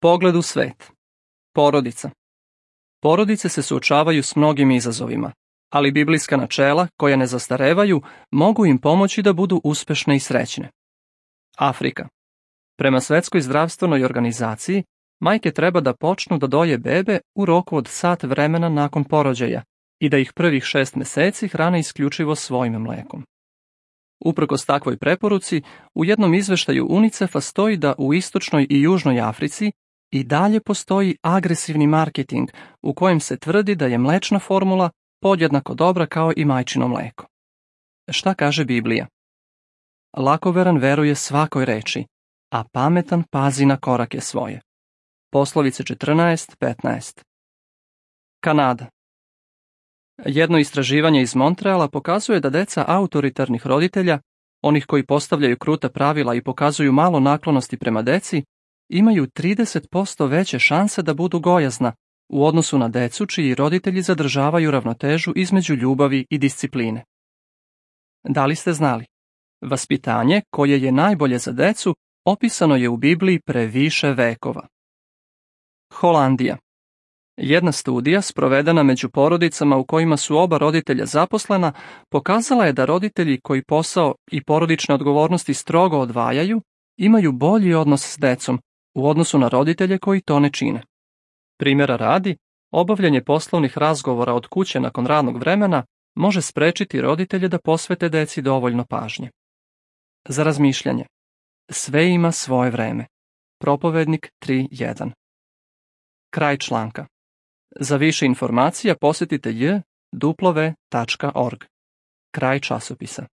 Pogled u svet. Porodica. Porodice se suočavaju s mnogim izazovima, ali biblijska načela, koja ne zastarevaju, mogu im pomoći da budu uspešne i srećne. Afrika. Prema Svetskoj zdravstvenoj organizaciji, majke treba da počnu da doje bebe u roku od sat vremena nakon porođaja i da ih prvih 6 meseci hrane isključivo svojim mlekom. Uprkos takvoj preporuci, u jednom izveštaju UNICEF-a stoji da u istočnoj i južnoj Africi i dalje postoji agresivni marketing u kojem se tvrdi da je mlečna formula podjednako dobra kao i majčino mleko. Šta kaže Biblija? Lakoveran veruje svakoj reči, a pametan pazi na korake svoje. Poslovice 14:15. Kanada. Jedno istraživanje iz Montreala pokazuje da deca autoritarnih roditelja, onih koji postavljaju kruta pravila i pokazuju malo naklonosti prema deci, imaju 30% veće šanse da budu gojazna u odnosu na decu čiji roditelji zadržavaju ravnotežu između ljubavi i discipline. Da li ste znali? Vaspitanje, koje je najbolje za decu, opisano je u Bibliji pre više vekova. Holandija. Jedna studija, sprovedena među porodicama u kojima su oba roditelja zaposlena, pokazala je da roditelji koji posao i porodične odgovornosti strogo odvajaju, imaju bolji odnos s decom u odnosu na roditelje koji to ne čine. Primjera radi, obavljanje poslovnih razgovora od kuće nakon radnog vremena može sprečiti roditelje da posvete deci dovoljno pažnje. Za razmišljanje. Sve ima svoje vreme. Propovednik 3.1. Kraj članka. Za više informacija posjetite j.w.org. Kraj časopisa.